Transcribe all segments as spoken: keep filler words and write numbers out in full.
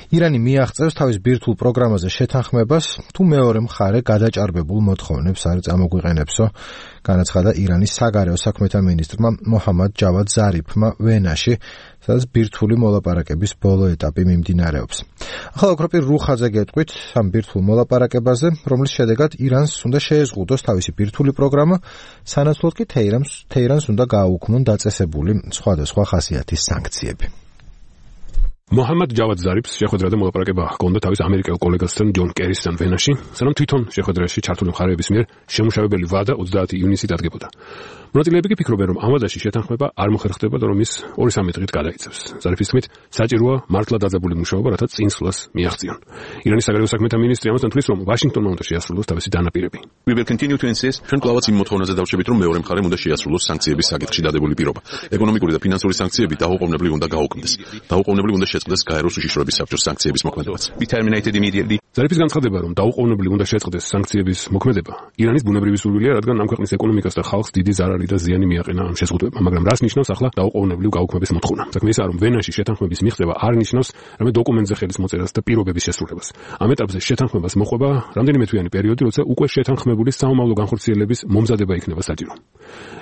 ირანი მიაღწევს თავის ბირთვულ პროგრამაზე შეთანხმებას, თუ მეორე მხარე გადაჭარბებულ მოთხოვნებს არ წამოგვიყენებსო, განაცხადა ირანის საგარეო საქმეთა მინისტრმა მოჰამად ჯავად ზარიფმა ვენაში, სადაც ბირთვული მოლაპარაკების ბოლო ეტაპი მიმდინარეობს. ახლა ოქროპირ რუხაძე გეტყვით ამ ბირთვულ მოლაპარაკებაზე, რომლის შედეგად ირანს უნდა შეეზღუდოს თავისი ბირთვული პროგრამა, სანაცვლოდ კი თეირანს თეირანს უნდა გააუქმონ დაწესებული სხვადასხვა ხასიათის სანქციები. მოჰამად ჯავად ზარიფს შეხვედრა და მოლაპარაკება ჰქონდა თავის ამერიკელ კოლეგასთან ჯონ კერისთან ვენაში, სანამ თვითონ შეხვედრაში ჩართული მხარეების მიერ შემუშავებელი ვადა ოცდაათი ივნისით დადგებოდა. მონაწილეები კი ფიქრობენ, რომ ამ ვადაში შეთანხმება არ მოხერხდება და რომ ის ორი სამი დღით გადაიცემს. ზარიფის თქმით, საჭიროა მართლა დაძაბული მუშაობა, რათა წინსვლას მიაღწიონ. ირანის საგარეო საქმეთა მინისტრი ამასთან თვლის, რომ ვაშინგტონმა უნდა შეასრულოს თავისი დანაპირები. We will continue to insist, ჩვენ კლავაც იმ მოთხოვნაზე დავჩებით, რომ მეორე მხარემ უნდა შეასრულოს სანქციების საკითხში დადებული პირობა. ეკონომიკური და ფინანსური სანქციები დაუყოვნებლივ უნდა გაუქმდეს. დაუყოვნებლივ უნდა შეწყდეს გაეროს უშიშროების საბჭოს სანქციების მოქმედებაც. We terminated immediately. ზარიფის განცხადება, რომ დაუყოვნებლივ უნდა შეწყდეს სანქციების მოქმედება, ირანის ბუნებრივი სურვილია, რადგან ამ ქვეყნის ეკონომიკას და ხალხს დიდი ზარალი და ზიანი მიაყენა ამ შეზღუდვებამ, მაგრამ რას ნიშნავს ახლა დაუყოვნებლივ გაუქმების მოთხოვნა? საქმე ისაა, რომ ვენაში შეთანხმების მიღწევა არ ნიშნავს რამე დოკუმენტზე ხელის მოწერას და პირობების შესრულებას. ამ ეტაპზე შეთანხმებას მოყვება რამდენიმე თვიანი პერიოდი, როცა უკვე შეთანხმებული საომავლო განხორციელების მომზადება იქნება საჭირო.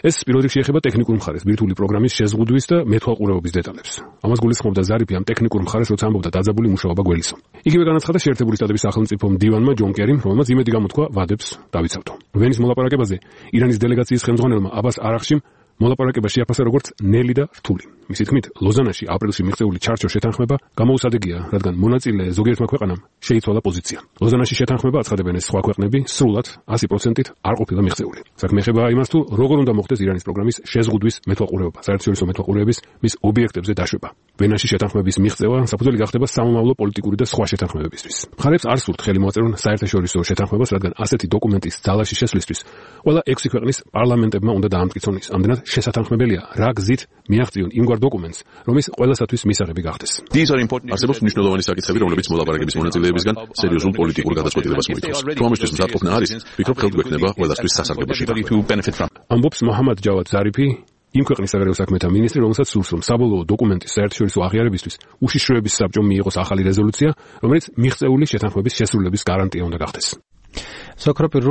ეს პირველ რიგში ეხება ტექნიკურ მხარეს, ბირთვული პროგრამის შეზღუდვის და მეთვალყურეობის დეტალებს. ამას გულისხმობდა ზარიფი ამ ტექნიკურ მხარეს, როცა ამბობდა დაძაბული მუშაობა გველისო. იგივე განაცხადა შეერთებული შტატების სახელმწიფო მდივანმა ჯონ კერიმ, რომელმაც იმედი გამოთქვა ვადებს დავიცავთო. ვენის მოლაპარაკებაზე ირანის დელეგაციის ხელმძღვანელმა აბას არახშიმ მოლაპარაკება შეაფასა როგორც ნელი და რთული. მისი თქმით, ლოზანაში აპრილში მიღწეული ჩარჩო შეთანხმება გამოუსადეგია, რადგან მონაწილე ზოგიერთმა ქვეყანამ შეიცვალა პოზიცია. ლოზანაში შეთანხმება აცხადებენ ეს სხვა ქვეყნები სრულად ასი პროცენტით არ ყოფილა მიღწეული. საქმე ეხება იმას, თუ როგორ უნდა მოხდეს ირანის პროგრამის შეზღუდვის მეთვალყურეობა, საერთაშორისო მეთვალყურეების მის ობიექტებზე დაშვება. ვენაში შეთანხმების მიღწევა საფუძველი გახდება სამომავლო პოლიტიკური და სხვა შეთანხმებებისთვის. მხარებს არ სურთ ხელი მოაწერონ საერთაშორისო შეთანხმებას, რადგან ასეთი დოკუმენტის ძალაში შესვლისთვის ყველა ექვსი ქვეყნის პარლამენტებმა უნდა დაამტკიცონ ის. ამდენად შესათანხმებელია რა გზით მიაღწიონ იმგვარ დოკუმენტს, რომ ის ყველასათვის მისაღები გახდეს. არსებობს მნიშვნელოვანი საკითხები, რომლებიც მოლაპარაკების მონაწილეებისგან სერიოზულ პოლიტიკურ გადაწყვეტილებას მოითხოვს. თუ ამისთვის მზადყოფნა არის, ვფიქრობ ხელგვექნება ყველასთვის სასარგებლოში. ამბობს მოჰამად ჯავად ზარიფი, იმ ქვეყნის საგარეო საქმეთა მინისტრი, რომელსაც სურს, რომ საბოლოო დოკუმენტის საერთაშორისო აღიარებისთვის უშიშროების საბჭომ მიიღოს ახალი რეზოლუცია, რომელიც მიღწეული შეთანხმების შესრულების გარანტია უნდა გახდეს. სოქროპირ